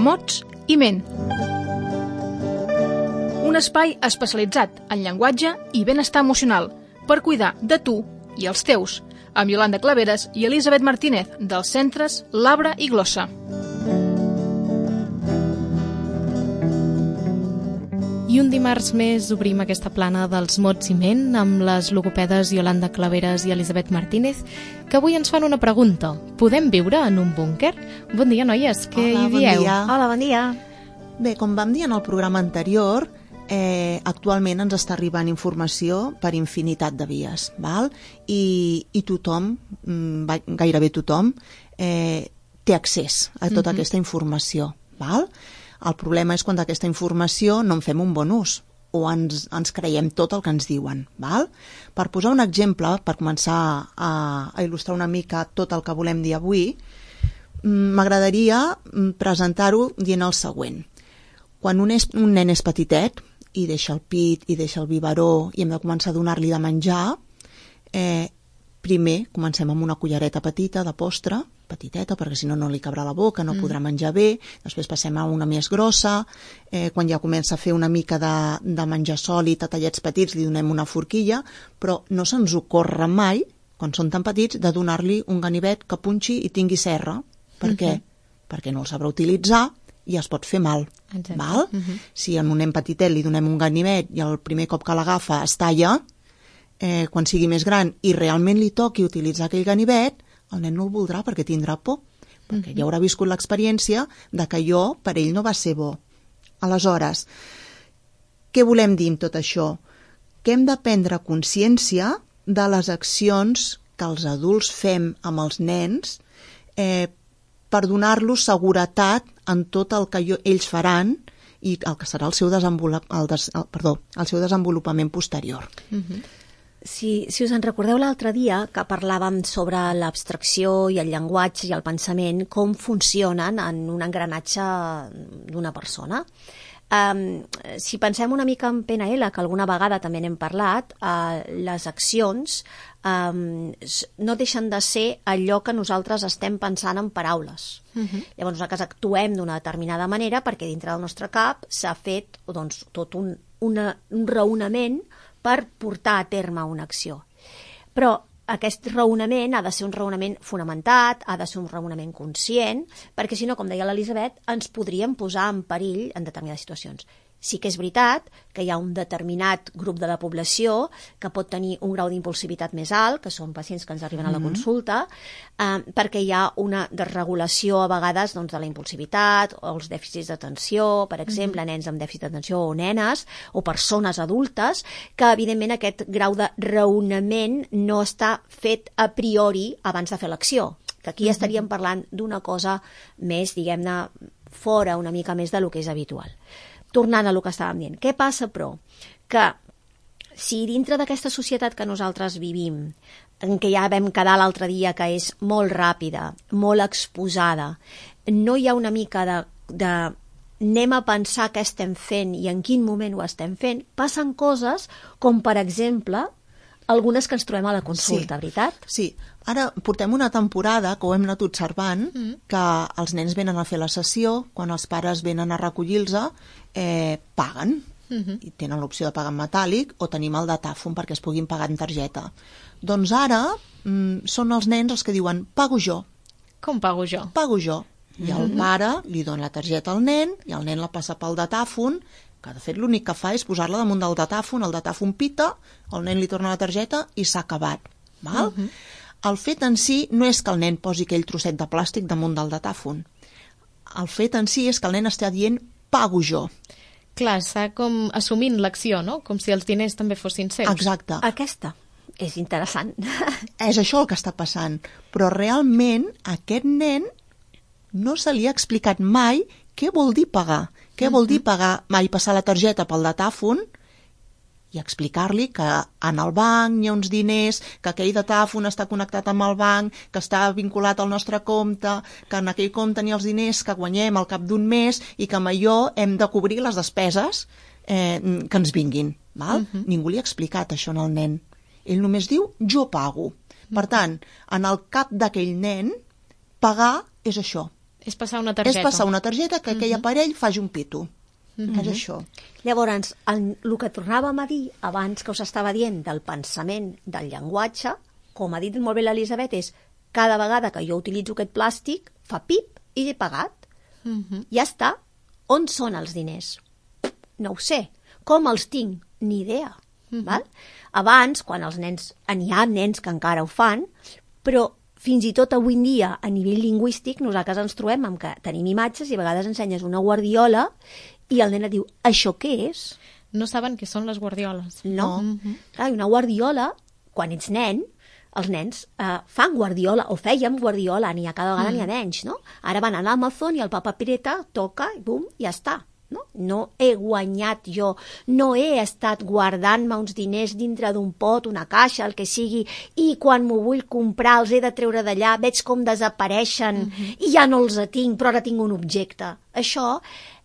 mots i ment. Un espai especialitzat en llenguatge i benestar emocional per cuidar de tu i els teus, amb Iolanda Claveres i Elisabet Martínez, dels centres Labra i Glossa. I un dimarts més obrim aquesta plana dels mots i ment amb les logopedes Iolanda Claveres i Elisabet Martínez, que avui ens fan una pregunta. Podem viure en un búnquer? Bon dia, noies, què hi dieu? Bon dia. Hola, bon dia. Bé, com vam dir en el programa anterior, actualment ens està arribant informació per infinitat de vies, val? I tothom, gairebé tothom, té accés a tota aquesta informació, val? El problema és quan d'aquesta informació no en fem un bon ús o ens creiem tot el que ens diuen, val? Per posar un exemple, per començar a il·lustrar una mica tot el que volem dir avui, m'agradaria presentar-ho dient el següent. Quan un nen és petitet i deixa el pit i deixa el biberó i hem de començar a donar-li de menjar, primer comencem amb una cullereta petita de postre, petiteta, perquè si no no li cabrà la boca, no podrà menjar bé, després passem a una més grossa, quan ja comença a fer una mica de menjar sòlid a tallets petits li donem una forquilla, però no se'ns ocorre mai, quan són tan petits, de donar-li un ganivet que punxi i tingui serra. Per què? Perquè no el sabrà utilitzar i es pot fer mal. Val? Si a un nen petitet li donem un ganivet i el primer cop que l'agafa es talla, quan sigui més gran i realment li toqui utilitzar aquell ganivet, el nen no el voldrà perquè tindrà por, perquè ja haurà viscut l'experiència de que allò per ell no va ser bo. Aleshores, què volem dir amb tot això? Que hem de prendre consciència de les accions que els adults fem amb els nens per donar-los seguretat en tot el que ells faran i el que serà el seu desenvolupament posterior. Si us en recordeu l'altre dia que parlàvem sobre l'abstracció i el llenguatge i el pensament, com funcionen en un engranatge d'una persona. Si pensem una mica en PNL, que alguna vegada també n'hem parlat, les accions no deixen de ser allò que nosaltres estem pensant en paraules. Llavors nosaltres actuem d'una determinada manera perquè dintre del nostre cap s'ha fet tot un raonament per portar a terme una acció. Però aquest raonament ha de ser un raonament fonamentat, ha de ser un raonament conscient, perquè si no, com deia l'Elisabet, ens podríem posar en perill en determinades situacions. Sí que és veritat que hi ha un determinat grup de la població que pot tenir un grau d'impulsivitat més alt, que són pacients que ens arriben a la consulta, perquè hi ha una desregulació a vegades de la impulsivitat o els dèficits d'atenció, per exemple, nens amb dèficit d'atenció o nenes o persones adultes, que evidentment aquest grau de raonament no està fet a priori abans de fer l'acció, que aquí estaríem parlant d'una cosa més, diguem-ne, fora una mica més del que és habitual. Tornant a el que estàvem dient, què passa, però? Que si dintre d'aquesta societat que nosaltres vivim, en què ja vam quedar l'altre dia que és molt ràpida, molt exposada, no hi ha una mica de anem a pensar què estem fent i en quin moment ho estem fent, passen coses com, per exemple, algunes que ens trobem a la consulta, veritat? Sí. Ara portem una temporada que ho hem anat observant, que els nens venen a fer la sessió, quan els pares venen a recollir-los, paguen, i tenen l'opció de pagar en metàl·lic o tenim el datàfon perquè es puguin pagar en targeta. Doncs ara són els nens els que diuen pago jo. Com pago jo? Pago jo. I el pare li dona la targeta al nen i el nen la passa pel datàfon, que de fet l'únic que fa és posar-la damunt del datàfon, el datàfon pita, el nen li torna la targeta i s'ha acabat. Val? El fet en si no és que el nen posi aquell trosset de plàstic damunt del datàfon. El fet en si és que el nen està dient pago jo. Clar, està com assumint l'acció, no? Com si els diners també fossin seus. Exacte. Aquesta és interessant. És això el que està passant. Però realment aquest nen no se li ha explicat mai què vol dir pagar. Què vol dir pagar? Mai passar la targeta pel datàfon i explicar-li que en el banc hi ha uns diners, que aquell datàfon està connectat amb el banc, que està vinculat al nostre compte, que en aquell compte hi ha els diners que guanyem al cap d'un mes i que amb allò hem de cobrir les despeses que ens vinguin. Val? Ningú li ha explicat això al nen. Ell només diu jo pago. Per tant, en el cap d'aquell nen, pagar és això, És passar una targeta. És passar una targeta que aquell aparell faci un pito. És això. Llavors, el que tornàvem a dir abans que us estava dient del pensament, del llenguatge, com ha dit molt bé l'Elisabet, és cada vegada que jo utilitzo aquest plàstic, fa pip i he pagat. Ja està. On són els diners? No ho sé. Com els tinc? Ni idea. Val? Abans, quan els nens, n'hi ha nens que encara ho fan, però fins i tot avui en dia, a nivell lingüístic, nosaltres ens trobem amb que tenim imatges i a vegades ensenyes una guardiola i el nen et diu, això què és? No saben què són les guardioles. No. Clar, una guardiola, quan ets nen, els nens fan guardiola, o fèiem guardiola, cada vegada n'hi ha menys, no? Ara van a l'Amazon i el papa Pireta toca i bum, ja està. No he guanyat jo, no he estat guardant-me uns diners dintre d'un pot, una caixa, el que sigui, i quan m'ho vull comprar els he de treure d'allà, veig com desapareixen i ja no els tinc, però ara tinc un objecte. Això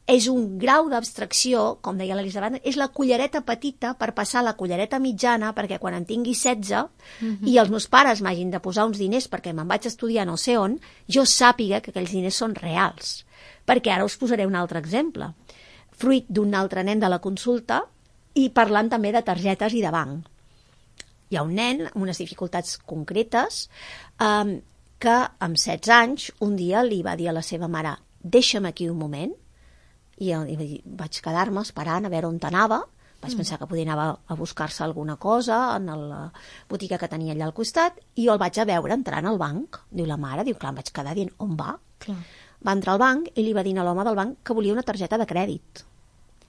és un grau d'abstracció, com deia l'Elisabet, és la cullereta petita per passar a la cullereta mitjana, perquè quan en tingui 16 i els meus pares m'hagin de posar uns diners perquè me'n vaig estudiar no sé on, jo sàpiga que aquells diners són reals. Perquè ara us posaré un altre exemple. Fruit d'un altre nen de la consulta i parlant també de targetes i de banc. Hi ha un nen amb unes dificultats concretes que amb 16 anys un dia li va dir a la seva mare deixa'm aquí un moment i vaig quedar-me esperant a veure on anava. Vaig pensar que podia anar a buscar-se alguna cosa en la botiga que tenia allà al costat i jo el vaig a veure entrant al banc. Diu la mare, clar, em vaig quedar dient on va? Clar. Va entrar al banc i li va dir a l'home del banc que volia una targeta de crèdit.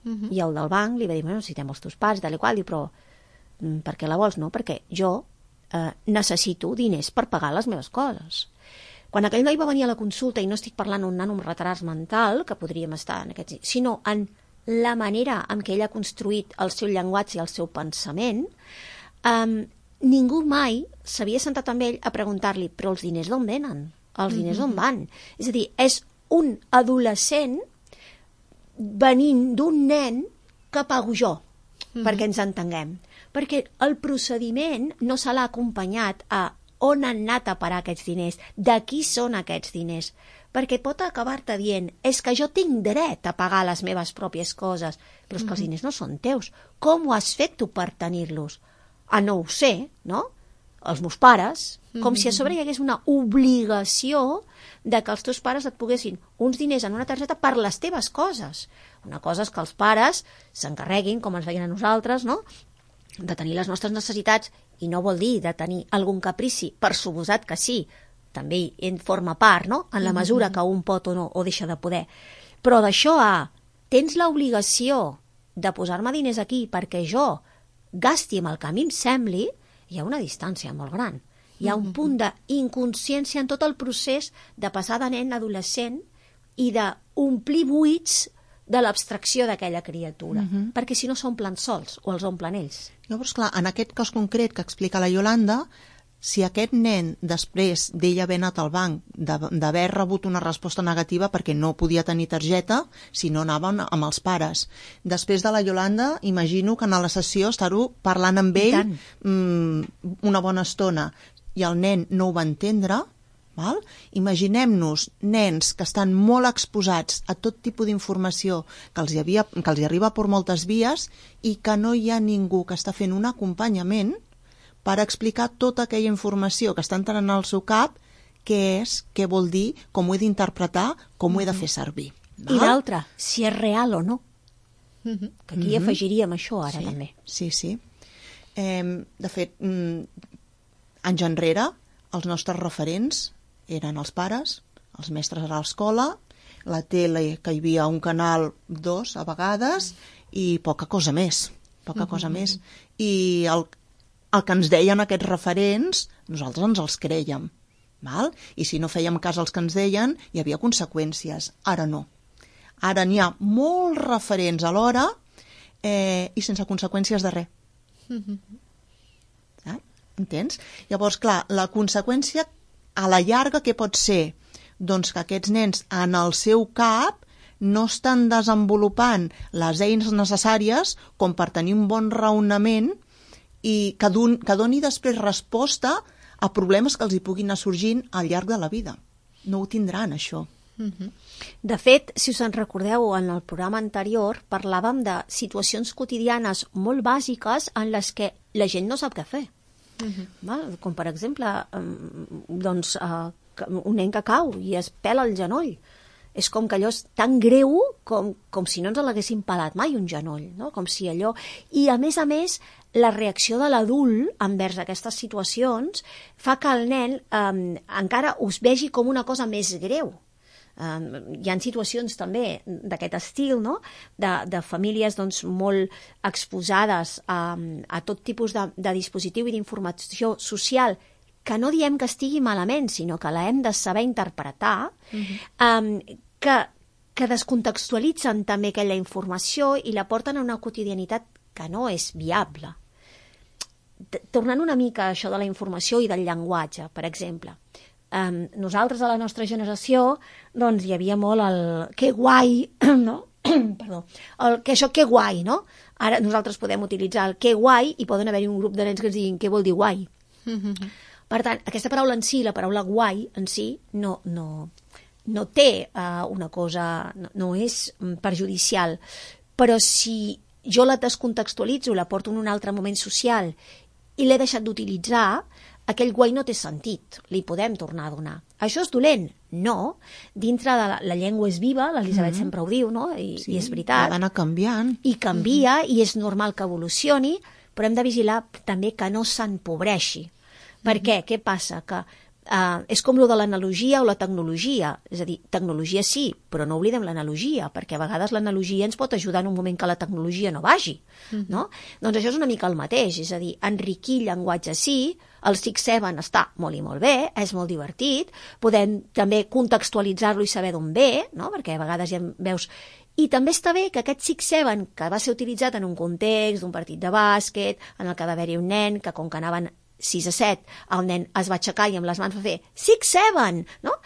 I el del banc li va dir, necessitem els teus pares, tal i qual, però per què la vols? No, perquè jo necessito diners per pagar les meves coses. Quan aquell noi va venir a la consulta, i no estic parlant d'un nano amb retards mental, que podríem estar en aquest, sinó en la manera en què ell ha construït el seu llenguatge i el seu pensament, ningú mai s'havia sentat amb ell a preguntar-li, però els diners d'on venen? Els diners on van? És a dir, és un adolescent venint d'un nen que pago jo, perquè ens entenguem. Perquè el procediment no se l'ha acompanyat a on han anat a parar aquests diners, de qui són aquests diners, perquè pot acabar-te dient és que jo tinc dret a pagar les meves pròpies coses, però és que els diners no són teus. Com ho has fet tu per tenir-los? No ho sé, no? Els meus pares, com si a sobre hi hagués una obligació de que els teus pares et poguessin uns diners en una targeta per les teves coses. Una cosa és que els pares s'encarreguin, com ens veien a nosaltres, no?, de tenir les nostres necessitats, i no vol dir de tenir algun caprici, per suposat que sí, també en forma part, no?, en la mesura que un pot o no, o deixa de poder. Però d'això tens l'obligació de posar-me diners aquí perquè jo gasti amb el que a mi em sembli, hi ha una distància molt gran. Hi ha un punt d'inconsciència en tot el procés de passar de nen a adolescent i d'omplir buits de l'abstracció d'aquella criatura, perquè si no s'omplen sols o els omplen ells. Llavors, clar, en aquest cas concret que explica la Iolanda, si aquest nen, després d'ell haver anat al banc, d'haver rebut una resposta negativa perquè no podia tenir targeta, si no anaven amb els pares. Després de la Iolanda, imagino que en la sessió estar-ho parlant amb ell una bona estona, i el nen no ho va entendre, val? Imaginem-nos nens que estan molt exposats a tot tipus d'informació que els arriba per moltes vies i que no hi ha ningú que està fent un acompanyament per explicar tota aquella informació que està entrant al seu cap, què és, què vol dir, com ho he d'interpretar, com ho he de fer servir. Val? I l'altre, si és real o no. Que aquí afegiríem això ara també. Sí. De fet, anys enrere, els nostres referents eren els pares, els mestres a l'escola, la tele, que hi havia un canal 2 a vegades, i poca cosa més. I el que ens deien aquests referents, nosaltres ens els crèiem. Val? I si no fèiem cas als que ens deien, hi havia conseqüències. Ara no. Ara n'hi ha molts referents alhora i sense conseqüències de res. Entens? Llavors, clar, la conseqüència a la llarga què pot ser? Doncs que aquests nens en el seu cap no estan desenvolupant les eines necessàries com per tenir un bon raonament i que doni després resposta a problemes que els hi puguin anar sorgint al llarg de la vida. No ho tindran, això. De fet, si us en recordeu, en el programa anterior parlàvem de situacions quotidianes molt bàsiques en les que la gent no sap què fer. Val? Com per exemple un nen que cau i es pela el genoll. És com que allò és tan greu com si no ens l'haguessin pelat mai un genoll, no? Com si allò... I a més, la reacció de l'adult envers aquestes situacions fa que el nen encara us vegi com una cosa més greu. Hi ha situacions també d'aquest estil, no? de famílies doncs, molt exposades a tot tipus de dispositiu i d'informació social, que no diem que estigui malament, sinó que la hem de saber interpretar, que descontextualitzen també aquella informació i la porten a una quotidianitat que no és viable. Tornant una mica a això de la informació i del llenguatge, per exemple, nosaltres a la nostra generació doncs hi havia molt el que guai, no? Perdó, això que guai, no? Ara nosaltres podem utilitzar el que guai i poden haver-hi un grup de nens que ens diguin què vol dir guai. Per tant, aquesta paraula en si, la paraula guai en si, no té una cosa, no és perjudicial, però si jo la descontextualitzo, la porto en un altre moment social i l'he deixat d'utilitzar, aquell guai no té sentit, li podem tornar a donar. Això és dolent? No. Dintre de la llengua és viva, l'Elisabet sempre ho diu, no? I és veritat. Ha d'anar canviant. I canvia, i és normal que evolucioni, però hem de vigilar també que no s'empobreixi. Per què? Què passa? Que és com lo de l'analogia o la tecnologia. És a dir, tecnologia sí, però no oblidem l'analogia, perquè a vegades l'analogia ens pot ajudar en un moment que la tecnologia no vagi. No? Doncs això és una mica el mateix, és a dir, enriquir llenguatge sí, el 6-7 està molt i molt bé, és molt divertit, podem també contextualitzar-lo i saber d'on ve, no? Perquè a vegades ja veus... I també està bé que aquest 6-7, que va ser utilitzat en un context d'un partit de bàsquet, en el que va haver-hi un nen que com que anaven 6-7, el nen es va aixecar i amb les mans va fer 6-7, no?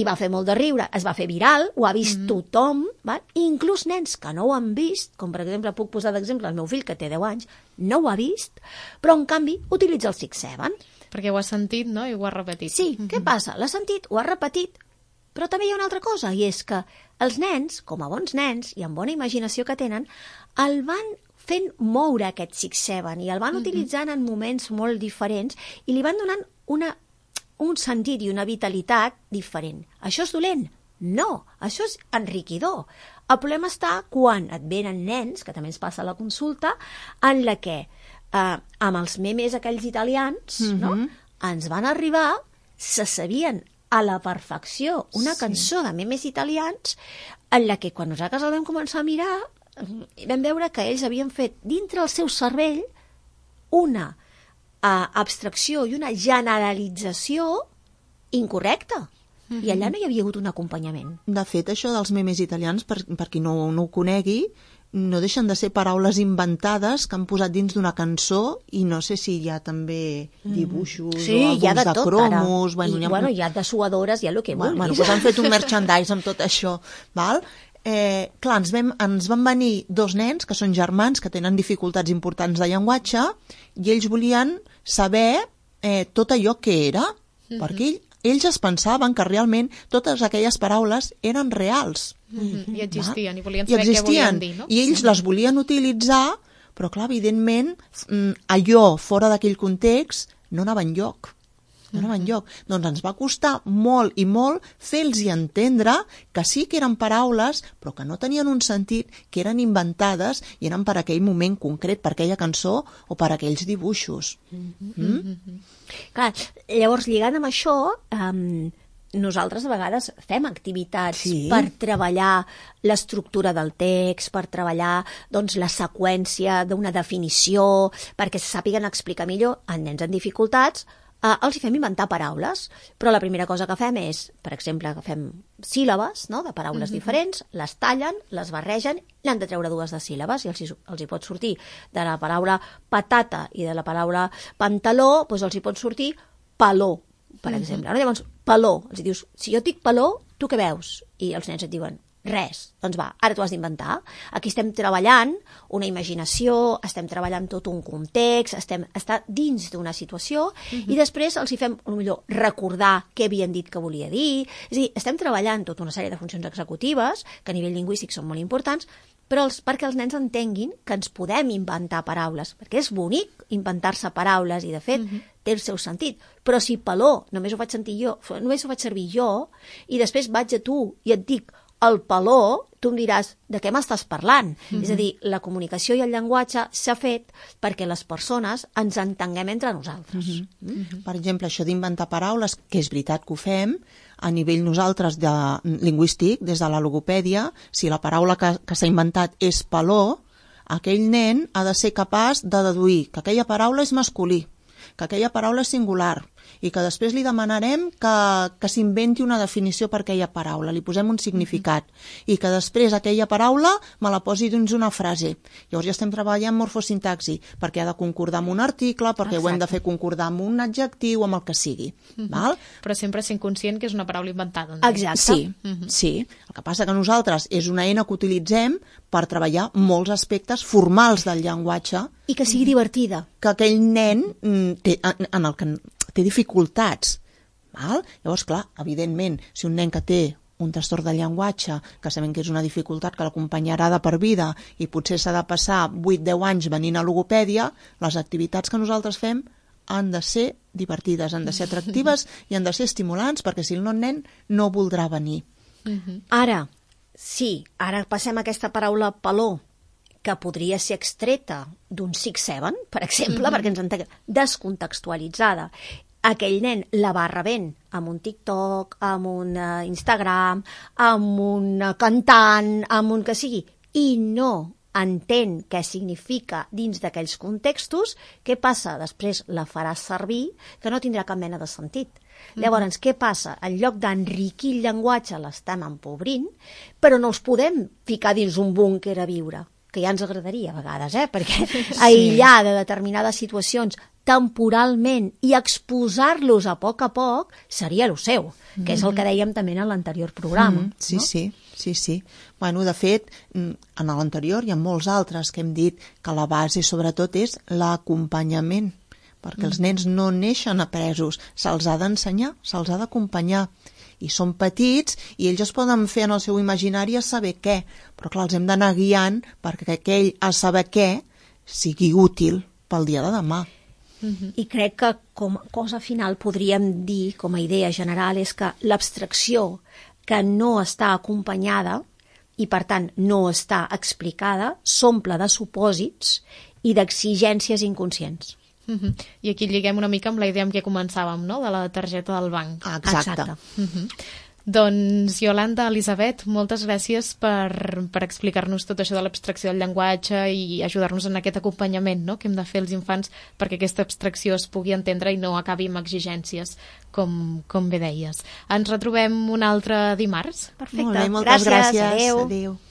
I va fer molt de riure, es va fer viral, ho ha vist tothom, val? Inclús nens que no ho han vist, com per exemple puc posar d'exemple el meu fill que té 10 anys, no ho ha vist, però en canvi utilitza el 6-7. Perquè ho ha sentit, no? I ho ha repetit. Sí, què passa? L'ha sentit, ho ha repetit, però també hi ha una altra cosa, i és que els nens, com a bons nens i amb bona imaginació que tenen, el van fent moure aquest 6-7 i el van utilitzant en moments molt diferents i li van donant un sentit i una vitalitat diferent. Això és dolent? No, això és enriquidor. El problema està quan et venen nens, que també ens passa a la consulta, en la que amb els memes aquells italians no? Ens van arribar, se sabien a la perfecció una cançó de memes italians en la que quan nosaltres el vam començar a mirar vam veure que ells havien fet dintre el seu cervell una abstracció i una generalització incorrecta. I allà no hi havia hagut un acompanyament. De fet, això dels memes italians, per qui no ho conegui, no deixen de ser paraules inventades que han posat dins d'una cançó i no sé si hi ha també dibuixos o alguns de cromos. Bueno, hi ha dessuadores, hi ha el que vulguis. Bueno, doncs han fet un merchandise amb tot això, val? Clar, ens van venir 2 nens que són germans, que tenen dificultats importants de llenguatge, i ells volien saber tot allò que era, perquè ells es pensaven que realment totes aquelles paraules eren reals. I existien, i volien saber què volien dir, no? I ells les volien utilitzar, però clar, evidentment, allò fora d'aquell context no anava enlloc. Doncs ens va costar molt i molt fer-los entendre que sí que eren paraules, però que no tenien un sentit, que eren inventades i eren per aquell moment concret, per aquella cançó o per aquells dibuixos. Clar, llavors, lligant amb això, nosaltres a vegades fem activitats per treballar l'estructura del text, per treballar doncs, la seqüència d'una definició, perquè se sàpiguen explicar millor a nens amb dificultats. Els hi fem inventar paraules, però la primera cosa que fem és, per exemple, agafem síl·labes, no?, de paraules diferents, les tallen, les barregen, n'han de treure 2 de síl·labes i els hi pot sortir de la paraula patata i de la paraula pantaló, doncs els hi pot sortir peló, per exemple. Llavors, peló, els dius, si jo et dic peló, tu què veus? I els nens et diuen, Res. Doncs va, ara t'ho has d'inventar. Aquí estem treballant una imaginació, estem treballant tot un context, està dins d'una situació i després els hi fem, potser, recordar què havien dit que volia dir. És a dir, estem treballant tota una sèrie de funcions executives que a nivell lingüístic són molt importants, però perquè els nens entenguin que ens podem inventar paraules, perquè és bonic inventar-se paraules i, de fet, té el seu sentit. Però si peló només ho faig servir jo i després vaig a tu i et dic el peló, tu em diràs de què m'estàs parlant. És a dir, la comunicació i el llenguatge s'ha fet perquè les persones ens entenguem entre nosaltres. Per exemple, això d'inventar paraules, que és veritat que ho fem, a nivell nosaltres lingüístic, des de la logopèdia, si la paraula que s'ha inventat és peló, aquell nen ha de ser capaç de deduir que aquella paraula és masculí, que aquella paraula és singular, i que després li demanarem que s'inventi una definició per aquella paraula, li posem un significat, i que després aquella paraula me la posi dins una frase. Llavors ja estem treballant morfosintaxi, perquè ha de concordar amb un article, perquè ho hem de fer concordar amb un adjectiu, amb el que sigui. Val? Però sempre sent conscient que és una paraula inventada. Exacte. Sí. El que passa que nosaltres és una eina que utilitzem per treballar molts aspectes formals del llenguatge. I que sigui divertida. Que aquell nen en el que té dificultats. Val? Llavors, clar, evidentment, si un nen que té un trastorn de llenguatge, que sabem que és una dificultat que l'acompanyarà de per vida i potser s'ha de passar 8-10 anys venint a logopèdia, les activitats que nosaltres fem han de ser divertides, han de ser atractives i han de ser estimulants, perquè si el nen no voldrà venir. Ara passem a aquesta paraula peló, que podria ser extreta d'un 6-7, per exemple, perquè ens entenguem, descontextualitzada. Aquell nen la va rebent amb un TikTok, amb un Instagram, amb un cantant, amb un que sigui, i no entén què significa dins d'aquells contextos, què passa? Després la faràs servir, que no tindrà cap mena de sentit. Llavors, què passa? En lloc d'enriquir el llenguatge l'estem empobrint, però no els podem ficar dins un búnquer a viure, que ja ens agradaria a vegades, perquè aïllar de determinades situacions temporalment i exposar-los a poc seria el seu, que és el que dèiem també en l'anterior programa. Sí. Bueno, de fet, en l'anterior i en molts altres que hem dit que la base sobretot és l'acompanyament, perquè els nens no neixen apresos, se'ls ha d'ensenyar, se'ls ha d'acompanyar. I són petits i ells es poden fer en el seu imaginari a saber què, però clar, els hem d'anar guiant perquè aquell a saber què sigui útil pel dia de demà. I crec que com a cosa final podríem dir, com a idea general, és que l'abstracció que no està acompanyada i per tant no està explicada s'omple de supòsits i d'exigències inconscients. I aquí lliguem una mica amb la idea amb què començàvem, no?, de la targeta del banc. Exacte. Doncs, Iolanda, Elisabet, moltes gràcies per explicar-nos tot això de l'abstracció del llenguatge i ajudar-nos en aquest acompanyament, no?, que hem de fer els infants perquè aquesta abstracció es pugui entendre i no acabi amb exigències, com bé deies. Ens retrobem un altre dimarts. Perfecte. Molt bé, moltes gràcies. Adéu. Adéu.